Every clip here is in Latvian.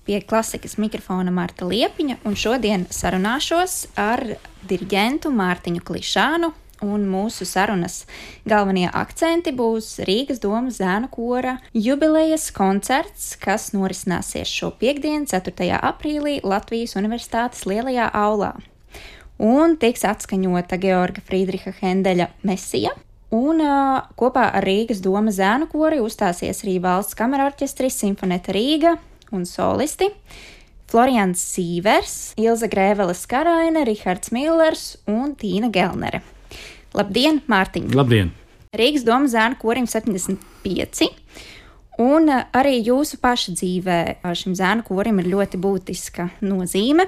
Pie klasikas mikrofona Marta Liepiņa, un šodien sarunāšos ar diriģentu Mārtiņu Klišānu, un mūsu sarunas galvenie akcenti būs Rīgas domas zēnu kora jubilejas koncerts, kas norisināsies šo piektdienu, 4. aprīlī Latvijas Universitātes lielajā aulā. Un tiks atskaņota Georga Friedriha Hendeļa Mesija. Un kopā ar Rīgas domas zēnu kori uzstāsies arī valsts kamerorķestris Simfoneta Rīga un solisti Florians Sīvers, Ilze Grēveles Karaine, Rihards Millers un Tīna Gelnere. Labdien, Mārtiņ! Labdien! Rīgas domas zēnu korim 75, un arī jūsu paša dzīvē šim zēnu korim ir ļoti būtiska nozīme.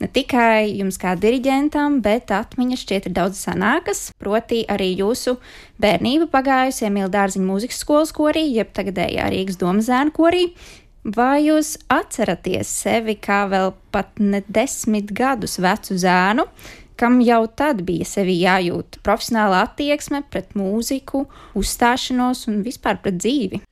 Ne tikai jums kā diriģentam, bet atmiņas šķiet ir daudz senākas, proti arī jūsu bērnība pagājusi Emīla Dārziņa mūzikas skolas korī, jeb tagadējā Rīgas domas zēnu korī. Vai jūs atceraties sevi kā vēl pat ne 10 gadus vecu zēnu, kam jau tad bija sevi jājūt profesionāla attieksme pret mūziku, uzstāšanos un vispār pret dzīvi?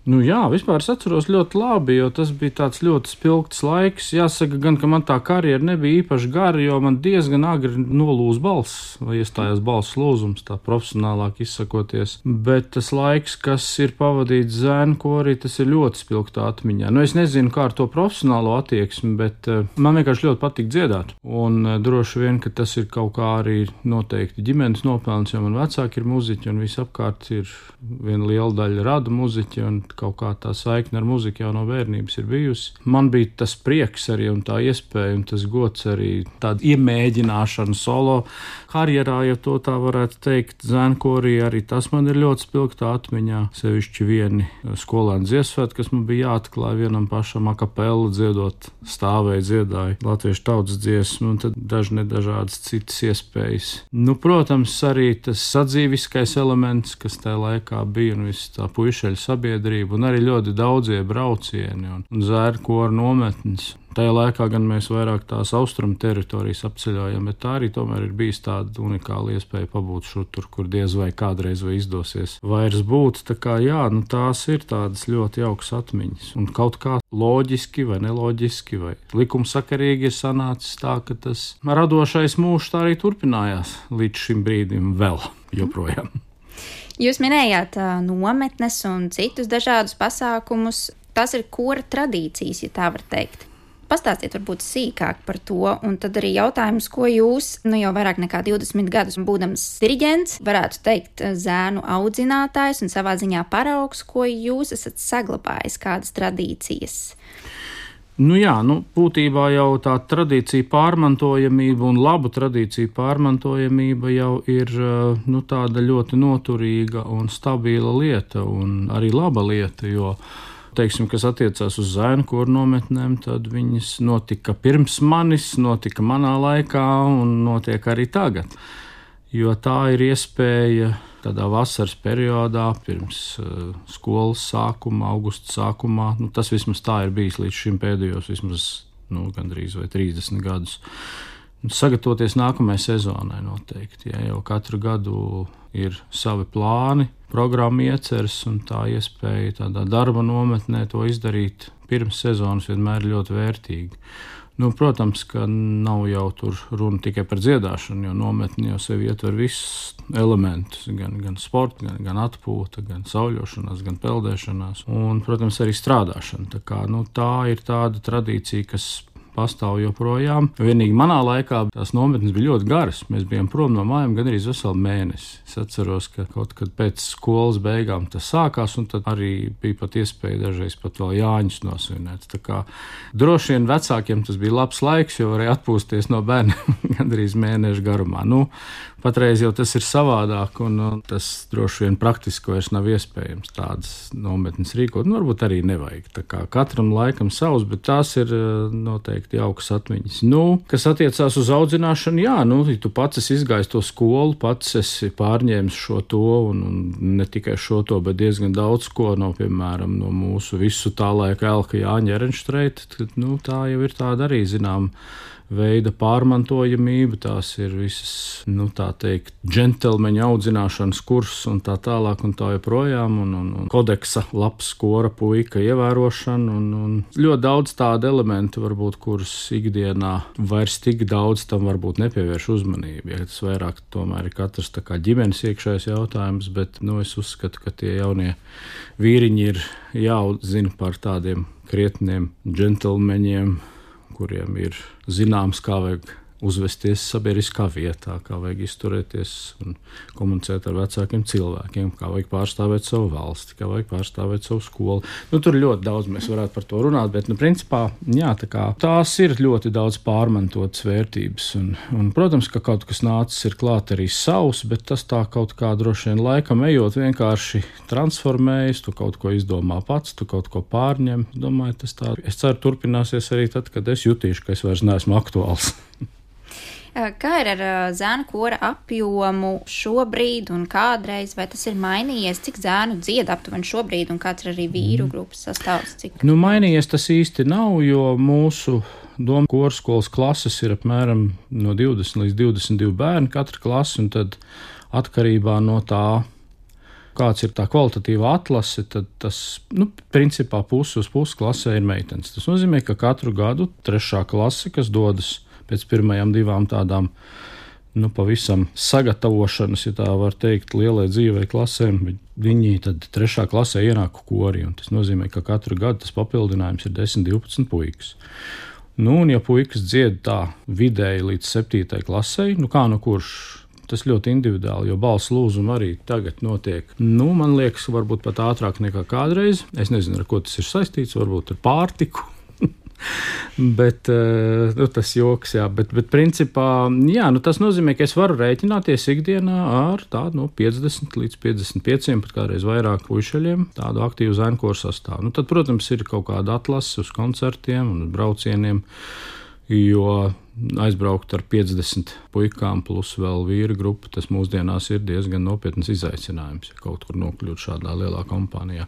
Nu jā, vispār es atceros ļoti labi, jo tas bija tāds ļoti spilgts laiks. Jāsaka gan, ka man tā karjera nebija īpaši gara, jo man diezgan agri nolūza balss, vai iestājās balss lūzums, tā profesionālāk izsakoties. Bet tas laiks, kas ir pavadīts zēnu korī, tas ir ļoti spilgtā atmiņā. Nu, es nezinu, kā ar to profesionālo attieksmi, bet man vienkārši ļoti patīk dziedāt. Un droši vien, ka tas ir kaut kā arī noteikti ģimenes nopelns, jo man vecāki ir muziķi un visapkārt ir viena liela daļa rada muziķi un kaut kā tā saikne ar muziku jau no bērnības ir bijusi. Man bija tas prieks arī un tā iespēja un tas gods arī tāda iemēģināšana solo karjerā, ja to tā varētu teikt. Zēnu korī arī tas man ir ļoti spilgtā atmiņā. Sevišķi vieni skolēnu dziesmsvētki, kas man bija jāatklāj vienam pašam a capella dziedot, stāvēja dziedāja latviešu tautas dziesmu un tad dažādas citas iespējas. Nu, protams, arī tas sadzīviskais elements, kas tajā laikā bija un viss tā puišeļu sabiedrība un arī ļoti daudzie braucieni un zēnu kora nometnes. Tajā laikā gan mēs vairāk tās austrumu teritorijas apceļojam, bet tā arī tomēr ir bijis tāda unikāla iespēja pabūt šur tur, kur diez vai kādreiz vai izdosies vairs būt. Tā kā jā, nu tās ir tādas ļoti jaukas atmiņas. Un kaut kā loģiski vai neloģiski vai likumsakarīgi ir sanācis tā, ka tas radošais mūžs tā arī turpinājās līdz šim brīdim vēl joprojām. Jūs minējāt nometnes un citus dažādus pasākumus. Tas ir kora tradīcijas, ja tā var teikt. Pastāstiet varbūt sīkāk par to, un tad arī jautājums, ko jūs, jau vairāk nekā 20 gadus būdams diriģents, varētu teikt zēnu audzinātājs un savā ziņā paraugs, ko jūs esat saglabājis, kādas tradīcijas? Nu jā, būtībā jau tā tradīcija pārmantojamība un labu tradīciju pārmantojamība jau ir tāda ļoti noturīga un stabila lieta un arī laba lieta, jo, teiksim, kas attiecās uz zēnu koru nometnēm, tad viņas notika pirms manis, notika manā laikā un notiek arī tagad. Jo tā ir iespēja tādā vasaras periodā, pirms skolas sākuma, augusta sākumā, tas vismaz tā ir bijis līdz šim pēdējos vismaz gandrīz vai 30 gadus. Sagatavoties nākamajai sezonai noteikti, ja jau katru gadu ir savi plāni, programma ieceras un tā iespēja tādā darba nometnē to izdarīt pirms sezonas vienmēr ir ļoti vērtīga. Protams, ka nav jau tur runa tikai par dziedāšanu, jo nometni jau sevi ietver visus elementus, gan sporta, gan atpūta, gan sauļošanās, gan peldēšanās un, protams, arī strādāšana. Tā kā, tā ir tāda tradīcija, kas pastāv joprojām. Vienīgi manā laikā tās nometnes bija ļoti garas. Mēs bijām prom no mājām gandrīz veselu mēnesi. Es atceros, ka kaut kad pēc skolas beigām tas sākās, un tad arī bija pat iespēja dažreiz pat vēl Jāņus nosvinēt. Tā kā droši vien vecākiem tas bija labs laiks, jo varēja atpūsties no bērniem gandrīz mēnešu garumā. Patreiz jau tas ir savādāk, un tas droši vien praktiski vairs nav iespējams tādas nometnes rīkot. Varbūt arī nevajag. Tā kā katram laikam savs, bet tās ir noteikti jaukas atmiņas. Kas attiecās uz audzināšanu, jā, ja tu pats esi izgājis to skolu, pats esi pārņēmis šo to, un ne tikai šo to, bet diezgan daudz ko piemēram, no mūsu visu tā laika Elka Jāņa Ehrenštreita, tad, tā jau ir tāda arī, zinām, veida pārmantojamība, tās ir visas, tā teikt, džentelmeņa audzināšanas kurs un tā tālāk un tā joprojām, un kodeksa labs skora puika ievērošana, un ļoti daudz tādu elementu varbūt, kurus ikdienā vairs tik daudz tam varbūt nepievērš uzmanību, ja tas vairāk tomēr ir katrs tā kā ģimenes iekšējais jautājums, bet, es uzskatu, ka tie jaunie vīriņi ir jāuzzina par tādiem krietniem džentelmeņiem, kuriem ir zināms, kā vajag uzvesties sabiedriskā vietā, kā vajag izturēties un komunicēt ar vecākiem cilvēkiem, kā vajag pārstāvēt savu valsti, kā vajag pārstāvēt savu skolu. Tur ļoti daudz mēs varētu par to runāt, bet, principā, tās ir ļoti daudz pārmantotas vērtības. Un, protams, ka kaut kas nācis ir klāt arī savs, bet tas tā kaut kā droši vien laikam ejot vienkārši transformējas, tu kaut ko izdomā pats, tu kaut ko pārņem. Domāju, tas tā, es ceru, turpināsies arī tad, kad es jutīšu, ka es vairs neesmu aktuāls. Kā ir ar zēnu kora apjomu šobrīd un kādreiz, vai tas ir mainījies, cik zēnu dzied aptuveni šobrīd un kāds ir arī vīru grupas sastāvs? Mainījies tas īsti nav, jo mūsu Doma korskolas klases ir apmēram no 20 līdz 22 bērni katra klase, un tad atkarībā no tā, kāds ir tā kvalitatīva atlase, tad tas, principā pusi uz pusi klasē ir meitenes. Tas nozīmē, ka katru gadu 3. klase, kas dodas pēc pirmajām 2 tādām, pavisam sagatavošanas, ja tā var teikt, lielai dzīvei klasēm, viņi tad 3. klasē ienāk korī, un tas nozīmē, ka katru gadu tas papildinājums ir 10-12 puikas. Un ja puikas dzied tā vidēji līdz 7. klasē, kā kurš, tas ļoti individuāli, jo balss lūzuma arī tagad notiek. Man liekas, varbūt pat ātrāk nekā kādreiz. Es nezinu, ar ko tas ir saistīts, varbūt ar pārtiku. Bet tas joks, jā, bet principā, tas nozīmē, ka es varu rēķināties ikdienā ar tādu 50 līdz 55, pat kādreiz vairāk puišaļiem, tādu aktīvu zēnu koru sastāvu. Tad, protams, ir kaut kāda atlase uz koncertiem un braucieniem, jo aizbraukt ar 50 puikām plus vēl vīru grupu, tas mūsdienās ir diezgan nopietnas izaicinājums, ja kaut kur nokļūt šādā lielā kompānijā.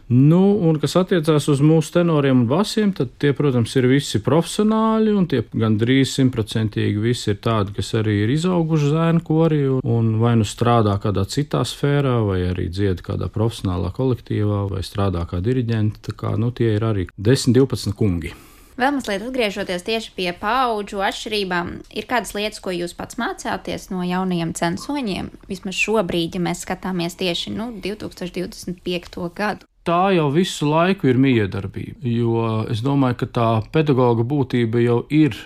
Un kas attiecās uz mūsu tenoriem un basiem, tad tie, protams, ir visi profesionāļi, un tie gandrīz 100% visi ir tādi, kas arī ir izauguši zēnu korī, un vai strādā kādā citā sfērā, vai arī dzied kādā profesionālā kolektīvā, vai strādā kā diriģenti, tā kā, tie ir arī 10-12 kungi. Vēl mazliet atgriežoties tieši pie paudžu atšķirībām, ir kādas lietas, ko jūs pats mācāties no jaunajiem censoņiem, vismaz šobrīd, ja mēs skatāmies tieši 2025. gadu? Tā jau visu laiku ir miedarbība, jo es domāju, ka tā pedagoga būtība jau ir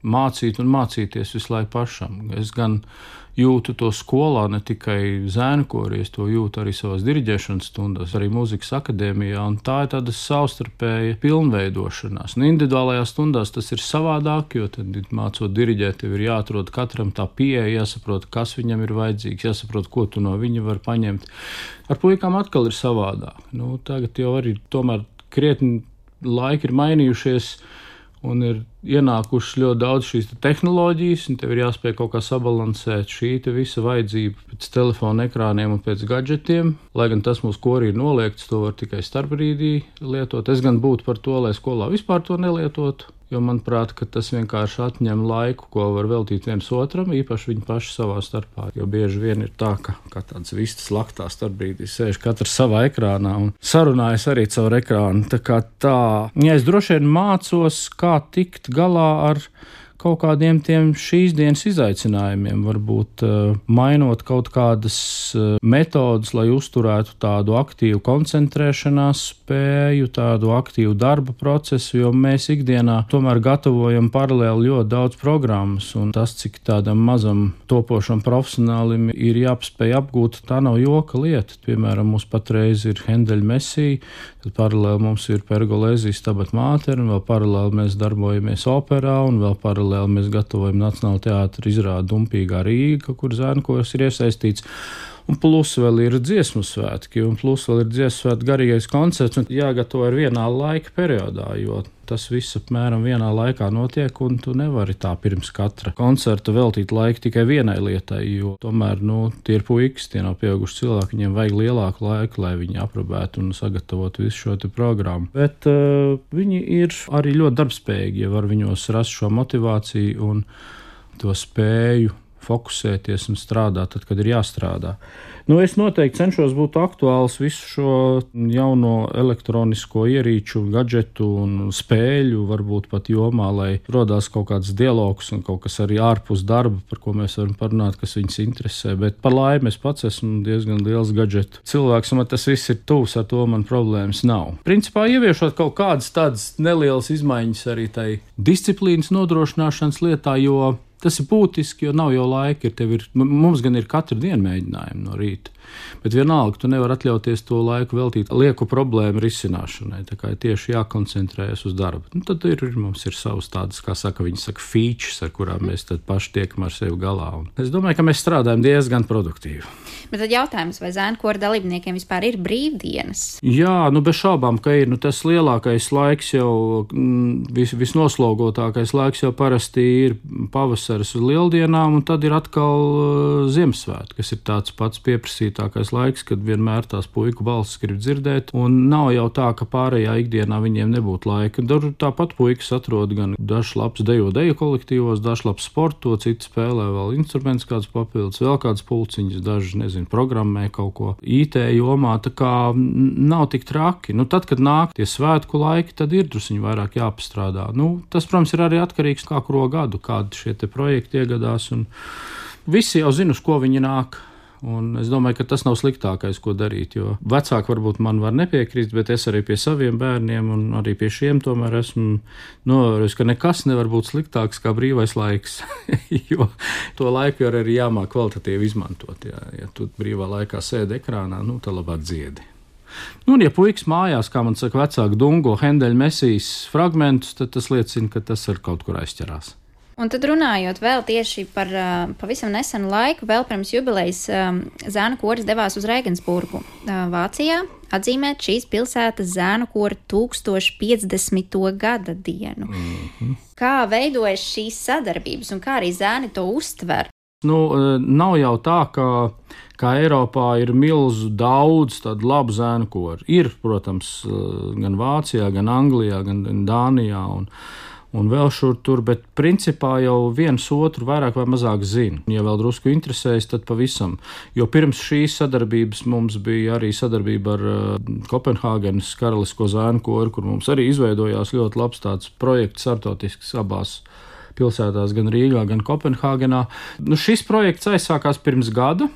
mācīt un mācīties visu laiku pašam. Es gan jūtu to skolā, ne tikai zēnu korī, es to jūtu arī savās diriģēšanas stundās, arī mūzikas akadēmijā, un tā ir tāda savstarpēja pilnveidošanās. Individuālajās stundās tas ir savādāk, jo tad mācot diriģēt, tev ir jāatrod katram tā pieeja, jāsaprot, kas viņam ir vajadzīgs, jāsaprot, ko tu no viņa var paņemt. Ar puikām atkal ir savādāk. Tagad jau arī tomēr krietni laiki ir mainījušies, un ir ienākušas ļoti daudz šīs tehnoloģijas, un tev ir jāspēj kaut kā sabalansēt šī visa vajadzība pēc telefona ekrāniem un pēc gadžetiem. Lai gan tas mūsu korī ir noliegts, to var tikai starpbrīdī lietot. Es gan būtu par to, lai skolā vispār to nelietotu, jo manuprāt, ka tas vienkārši atņem laiku, ko var veltīt viens otram, īpaši viņi paši savā starpā. Jo bieži vien ir tā, ka tāds vistas laktā starpbrīdī sēž katrs savā ekrānā un sarunājas arī caur ekrānu. Ja es droši vien mācos, kā tikt galā ar kaut kādiem tiem šīs dienas izaicinājumiem, varbūt mainot kaut kādas metodas, lai uzturētu tādu aktīvu koncentrēšanās spēju, tādu aktīvu darba procesu, jo mēs ikdienā tomēr gatavojam paralēli ļoti daudz programmas, un tas, cik tādam mazam topošam profesionālim ir jāspēj apgūt, tā nav joka lieta. Piemēram, mums patreiz ir Hendeļa Mesija, tad paralēli mums ir Pergolēzijas Stabat Mater, un vēl paralēli mēs darbojamies operā, un vēl paralēli mēs gatavojam Nacionāla teātra izrādi Dumpīgā Rīga, kur zēnu koris ir iesaistīts. Un plus vēl ir dziesmu svētki, un plus vēl ir dziesmu svētki garīgais koncerts, un jāgatavo ir vienā laika periodā, jo tas viss apmēram vienā laikā notiek, un tu nevari tā pirms katra koncerta veltīt laiku tikai vienai lietai, jo tomēr, tie ir puikas, tie nav pieauguši cilvēki, viņiem vajag lielāku laiku, lai viņi aprobētu un sagatavotu visu šo te programmu. Bet viņi ir arī ļoti darbspējīgi, ja var viņos rast šo motivāciju un to spēju fokusēties un strādāt, tad, kad ir jāstrādā. Es noteikti cenšos būt aktuāls visu šo jauno elektronisko ierīču, gadžetu un spēļu, varbūt pat jomā, lai rodās kaut kāds dialogs un kaut kas arī ārpus darba, par ko mēs varam parunāt, kas viņus interesē. Bet par laimi es pats esmu diezgan liels gadžetu cilvēks, un man tas viss ir tuvs, ar to man problēmas nav. Principā ieviešot kaut kādas tādas nelielas izmaiņas arī tai disciplīnas nodrošināšanas lietā, jo tas ir būtiski, jo nav jau laika. Mums gan ir katru dienu mēģinājumi no rīta, bet vienalga tu nevari atļauties to laiku veltīt lieku problēmu risināšanai. Tā kā ir tieši jākoncentrējas uz darbu. Tad mums ir savas tādas, kā viņi saka, features, ar kurām mēs tad paši tiekam ar sevi galā. Un es domāju, ka mēs strādājam diezgan produktīvi. Bet tad jautājums, vai zēnu kora dalībniekiem vispār ir brīvdienas? Jā, bez šaubām, ka ir. Tas lielākais laiks jau, visnoslogotākais laiks jau parasti ir pavasaris uz lieldienām, un tad ir atkal Ziemassvētki, kas ir tāds pats pieprasītākais laiks, kad vienmēr tās puiku balsis grib dzirdēt, un nav jau tā, ka pārējā ikdienā viņiem nebūtu laika. Tāpat puikas atrod gan dažs labs deju kolektīvos, dažs labs sporto, citi spēlē vēl instruments kāds papildus, vēl kāds pulciņas, daži, programmē kaut ko IT jomā, tā kā nav tik traki. Tad, kad nāk tie svētku laiki, tad ir drusciņi vairāk jāpastrādā. Tas, protams, ir arī atkarīgs kā kuro gadu, kādi šie te projekti iegadās, un visi jau zina, uz ko viņi nāk. Un es domāju, ka tas nav sliktākais, ko darīt, jo vecāki varbūt man var nepiekrist, bet es arī pie saviem bērniem un arī pie šiem tomēr esmu novērojis, ka nekas nevar būt sliktāks kā brīvais laiks, jo to laiku arī jāmāk kvalitatīvi izmantot. Ja tu brīvā laikā sēdi ekrānā, tad labāk dziedi. Un ja puikas mājās, kā man saka, vecāki dungo Hendeļa Mesijas fragmentus, tad tas liecina, ka tas ar kaut kur aizķerās. Un tad runājot vēl tieši par pavisam nesenu laiku, vēl pirms jubilejas zēnu koris devās uz Regensburgu, Vācijā, atzīmēt šīs pilsētas zēnu kora 1050. gada dienu. Kā veidojas šīs sadarbības un kā arī zēni to uztver? Nav jau tā, ka Eiropā ir milzu daudz tādu labu zēnu koru. Ir, protams, gan Vācijā, gan Anglijā, gan Dānijā un vēl šur tur, bet principā jau viens otru vairāk vai mazāk zina. Ja vēl drusku interesējas, tad pavisam. Jo pirms šīs sadarbības mums bija arī sadarbība ar Kopenhāgenes karalisko zēnu koru, kur mums arī izveidojās ļoti labs tāds projekts startautisks abās pilsētās, gan Rīgā, gan Kopenhāgenā. Šis projekts aizsākās pirms gada.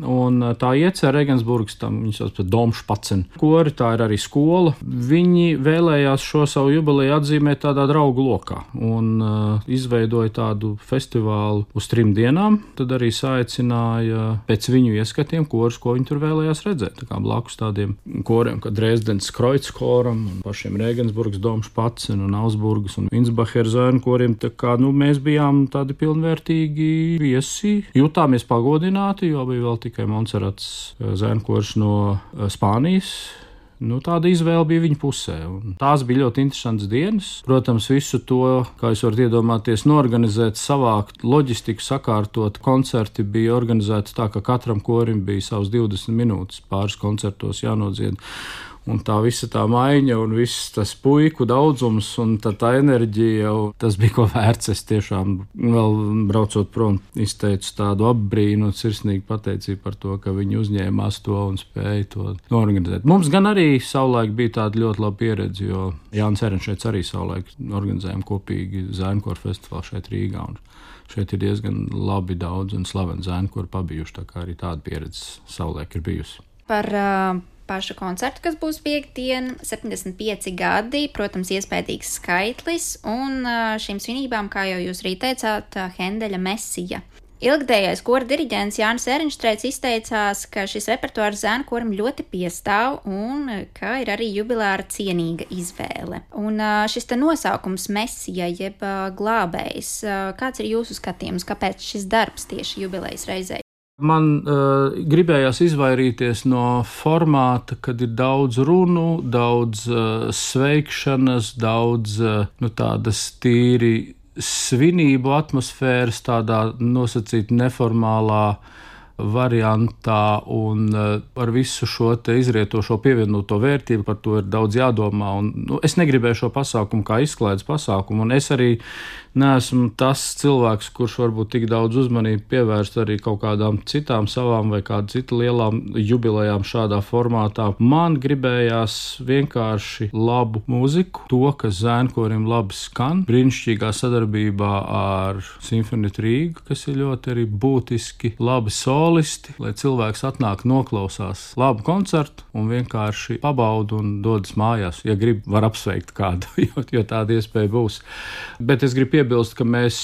Un tā iecer Regensburgas, viņi sauc par Domšpacen kori, tā ir arī skola. Viņi vēlējās šo savu jubileju atzīmēt tādā draugu lokā un izveidoja tādu festivālu uz 3 dienām. Tad arī saicināja pēc viņu ieskatiem korus, ko viņi tur vēlējās redzēt. Tā kā blakus tādiem koriem, kā Dresdens Kreuzkoram un pašiem Regensburgas Domšpacen un Augsburgas un Insbacher zēnu koriem. Tā kā mēs bijām tādi pilnvērtīgi viesi, jutāmies pagodināti, jo bija vēl tikai Montserrats zēnu kors no Spānijas. Tāda izvēle bija viņa pusē. Un tās bija ļoti interesantas dienas. Protams, visu to, kā jūs varat iedomāties, norganizēt, savākt, loģistiku sakārtot. Koncerti bija organizēti tā, ka katram korim bija savas 20 minūtes pāris koncertos jānodzied. Un tā visa tā maiņa un viss tas puiku daudzums un tā enerģija jau tas bija ko vērts. Es tiešām vēl braucot prom izteicu tādu apbrīnu un sirsnīgu pateicību par to, ka viņi uzņēmās to un spēja to organizēt. Mums gan arī savulaik bija tāda ļoti laba pieredze, jo Jānis Erenšēts arī savulaik organizējām kopīgi zēnu koru festivālu šeit Rīgā. Un šeit ir diezgan labi daudz un slaveni zēnu koru pabijuši, tā kā arī tāda pieredze savulaik ir bijusi. Par pašu koncertu, kas būs piekdien, 75 gadi, protams, iespējīgs skaitlis, un šīm svinībām, kā jau jūs arī teicāt, Hendeļa Mesija. Ilgadējais kora diriģents Jānis Erenštrēts izteicās, ka šis repertuārs zēnu koram ļoti piestāv un ka ir arī jubilāra cienīga izvēle. Un šis te nosaukums Mesija, jeb glābējs, kāds ir jūsu skatījums, kāpēc šis darbs tieši jubilejas reizē? Man gribējās izvairīties no formāta, kad ir daudz runu, daudz sveikšanas, daudz tādas tīri svinību atmosfēras, tādā nosacīt neformālā variantā, un ar visu šo te izrietošo pievienoto vērtību par to ir daudz jādomā. Es negribēju šo pasākumu kā izklaides pasākumu, un es arī neesmu tas cilvēks, kurš varbūt tik daudz uzmanību pievērst arī kaut kādām citām savām vai kādu citu lielām jubilejām šādā formātā. Man gribējās vienkārši labu mūziku, to, kas zēnkorim labi skan, brīnišķīgā sadarbībā ar Simfonētu Rīgu, kas ir ļoti arī būtiski labi solisti, lai cilvēks atnāk noklausās labu koncertu un vienkārši pabauda un dodas mājās. Ja grib, var apsveikt kādu, jo tāda iespēja būs. Bet es gribu piebilst, ka mēs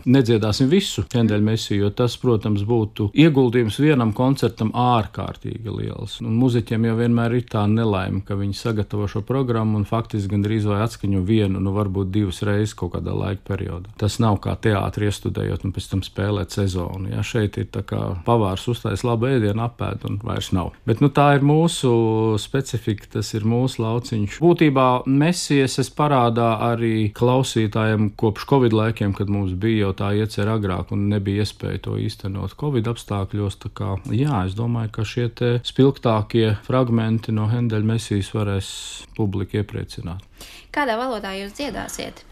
nedziedāsim visu Hendeļa mesiju, jo tas, protams, būtu ieguldījums vienam koncertam ārkārtīgi liels. Un muziķiem jau vienmēr ir tā nelaime, ka viņi sagatavo šo programmu un faktiski gandrīz vai atskaņo vienu, varbūt divas reizes kaut kādā laika periodā. Tas nav kā teātri iestudējot un pēc tam spēlēt sezonu. Ja, šeit ir tā kā pavārs uztais labu ēdienu, apēd un vairs nav. Bet tā ir mūsu specifika, tas ir mūsu lauciņš. Būtībā mesijas es parādā arī klausītājiem kopš Covid laikiem, kad mums bija jau tā iecer agrāk un nebija iespēja to īstenot Covid apstākļos. Tā kā, es domāju, ka šie te spilgtākie fragmenti no Hendeļa mesijas varēs publiku iepriecināt. Kādā valodā jūs dziedāsiet?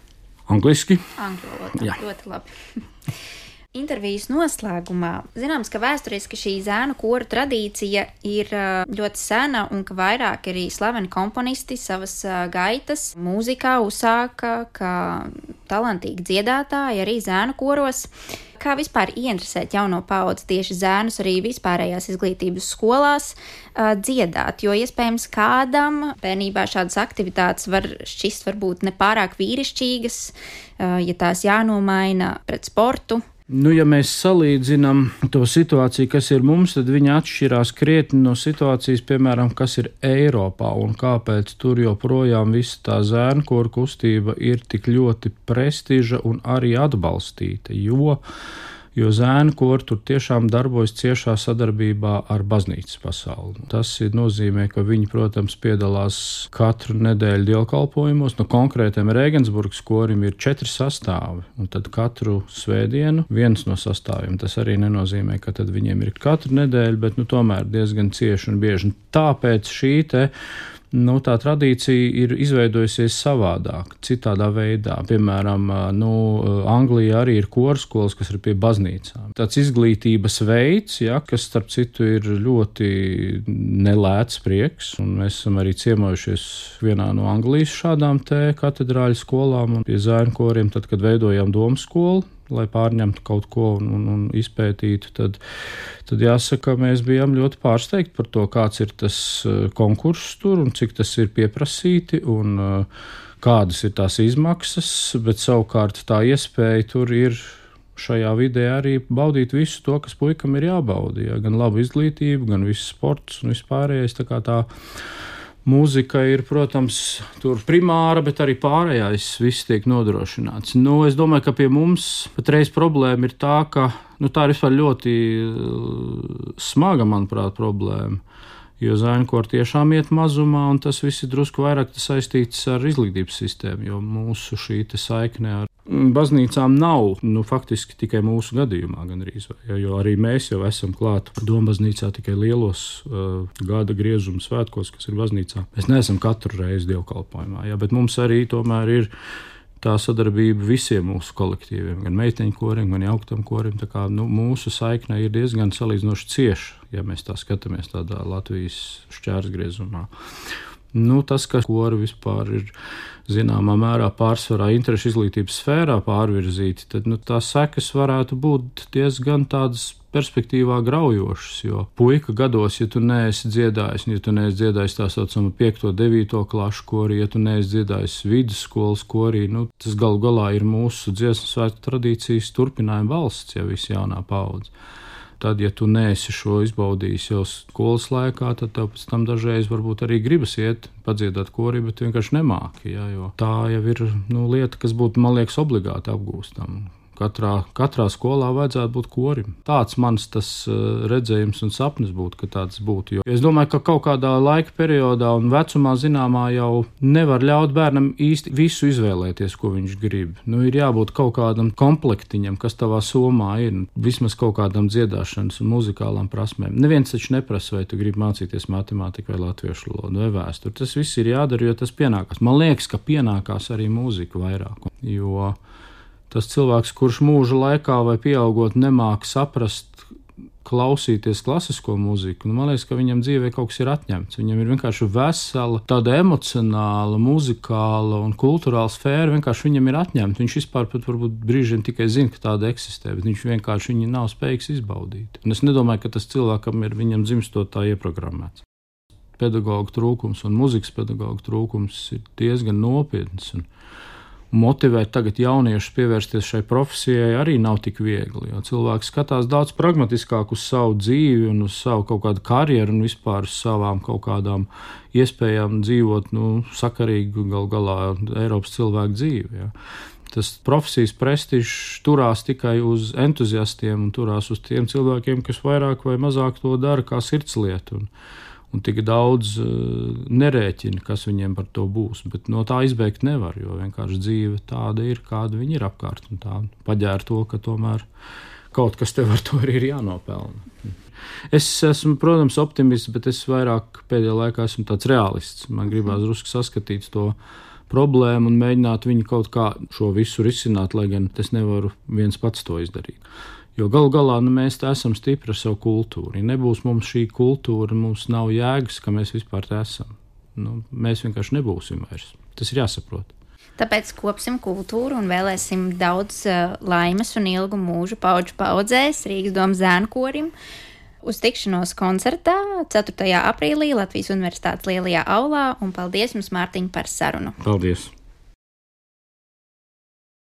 Angliski. Angļu valodā, ļoti labi. Intervijas noslēgumā zināms, ka vēsturiski šī zēnu koru tradīcija ir ļoti sena un ka vairāk arī slaveni komponisti savas gaitas mūzikā uzsāka kā talantīgi dziedātāji arī zēnu koros. Kā vispār ieinteresēt jauno paudzi tieši zēnus arī vispārējās izglītības skolās dziedāt, jo iespējams kādam bērnībā šādas aktivitātes var šķist varbūt nepārāk vīrišķīgas, ja tās jānomaina pret sportu. Ja mēs salīdzinām to situāciju, kas ir mums, tad viņa atšķirās krietni no situācijas, piemēram, kas ir Eiropā un kāpēc tur joprojām visa tā zēnu koru kustība ir tik ļoti prestiža un arī atbalstīta, jo zēnu kori tur tiešām darbojas ciešā sadarbībā ar baznīcas pasauli. Tas nozīmē, ka viņi, protams, piedalās katru nedēļu dievkalpojumos. Konkrētiem Regensburgas korim ir 4 sastāvi, un tad katru svētdienu viens no sastāviem. Tas arī nenozīmē, ka tad viņiem ir katru nedēļu, bet tomēr diezgan cieši un bieži. Tāpēc šī tā tradīcija ir izveidojusies savādāk, citādā veidā. Piemēram, Anglijā arī ir korskolas, kas ir pie baznīcām. Tāds izglītības veids, kas starp citu ir ļoti nelēts prieks, un mēs esam arī ciemojušies vienā no Anglijas šādām te katedrāļu skolām un pie zēnu koriem, tad, kad veidojām domu skolu, lai pārņemtu kaut ko un izpētītu, tad jāsaka, mēs bijām ļoti pārsteigti par to, kāds ir tas konkurss tur un cik tas ir pieprasīti un kādas ir tās izmaksas, bet savukārt tā iespēja tur ir šajā vidē arī baudīt visu to, kas puikam ir jābauda, gan labu izglītību, gan visu sports un vispārējais, tā mūzika ir, protams, tur primāra, bet arī pārējais viss tiek nodrošināts. Es domāju, ka pie mums patreiz problēma ir tā, ka tā ir vispār ļoti smaga, manuprāt, problēma. Jo zēnu kori tiešām iet mazumā, un tas viss ir drusku vairāk saistīts ar izglītības sistēmu, jo mūsu šī saikne ar baznīcām nav, faktiski tikai mūsu gadījumā gandrīz, jo arī mēs jau esam klāt dombaznīcā tikai lielos gada griezuma svētkos, kas ir baznīcā. Mēs neesam katru reizi dievkalpojumā, bet mums arī tomēr ir tā sadarbība visiem mūsu kolektīviem, gan meiteņu korim, gan jauktam korim. Tā kā mūsu saikne ir diezgan salīdzinoši cieša, ja mēs tā skatāmies tādā Latvijas šķērsgriezumā. Tas, ka kori vispār ir zināmā mērā pārsvarā interešu izglītības sfērā pārvirzīti, tad tās sekas varētu būt diezgan tādas perspektīvā graujošas, jo puika gados, ja tu neesi dziedājis, ja tu neesi dziedājis tā saucamo 5. 9. klašu korī, ja tu neesi dziedājis vidusskolas korī, tas galu galā ir mūsu dziesmu svētku tradīcijas turpinājuma valsts, ja viss jaunā paudze. Tad, ja tu neesi šo izbaudījis jau skolas laikā, tad tev pēc tam dažreiz varbūt arī gribas iet padziedāt korī, bet vienkārši nemāki, jo tā jau ir lieta, kas būtu, man liekas, obligāti apgūstama. Katrā skolā vajadzētu būt korim. Tāds mans tas redzējums un sapnis būtu, ka tāds būtu. Jo es domāju, ka kaut kādā laika periodā un vecumā zināmā jau nevar ļaut bērnam īsti visu izvēlēties, ko viņš grib. Ir jābūt kaut kādam komplektiņam, kas tavā somā ir, vismaz kaut kādam dziedāšanas un muzikālām prasmēm. Neviens taču neprasa, vai tu gribi mācīties matemātiku vai latviešu valodu vai vēsturi. Tas viss ir jādara, jo tas pienākās. Man liekas, ka pienākās arī mūzika vairāk, jo tas cilvēks, kurš mūža laikā vai pieaugot nemāk saprast, klausīties klasisko mūziku, man liekas, ka viņam dzīvē kaut kas ir atņemts. Viņam ir vienkārši vesela, tāda emocionāla, muzikāla un kulturāla sfēra, vienkārši viņam ir atņemta. Viņš vispār pat varbūt brīžiem tikai zina, ka tāda eksistē, bet viņš vienkārši viņu nav spējīgs izbaudīt. Un es nedomāju, ka tas cilvēkam ir viņam dzimstot tā ieprogrammēts. Pedagogu trūkums un mūzikas pedagogu trūkums ir diezgan nopietns. Un motivēt tagad jauniešus pievērsties šai profesijai arī nav tik viegli, jo cilvēks skatās daudz pragmatiskāk uz savu dzīvi un uz savu kaut kādu karjeru un vispār uz savām kaut kādām iespējām dzīvot, sakarīgu gal galā Eiropas cilvēku dzīvi. Ja. Tas profesijas prestižs turās tikai uz entuziastiem un turās uz tiem cilvēkiem, kas vairāk vai mazāk to dara kā sirdslietu. Un tik daudz nerēķina, kas viņiem par to būs. Bet no tā izbeigt nevar, jo vienkārši dzīve tāda ir, kāda viņa ir apkārt. Un tā paģēra to, ka tomēr kaut kas tev ar to arī ir jānopelna. Es esmu, protams, optimists, bet es vairāk pēdējā laikā esmu tāds realists. Man gribās drusku saskatīt to problēmu un mēģināt viņu kaut kā šo visu risināt, lai gan es nevaru viens pats to izdarīt. Jo galu galā mēs esam stipri ar savu kultūru. Ja nebūs mums šī kultūra, mums nav jēgas, ka mēs vispār te esam. Mēs vienkārši nebūsim vairs. Tas ir jāsaprot. Tāpēc kopsim kultūru un vēlēsim daudz laimes un ilgu mūžu paudžu paudzēs Rīgas domas zēnu korim. Uz tikšanos koncertā 4. aprīlī Latvijas Universitātes lielajā aulā, un paldies jums, Mārtiņ, par sarunu. Paldies!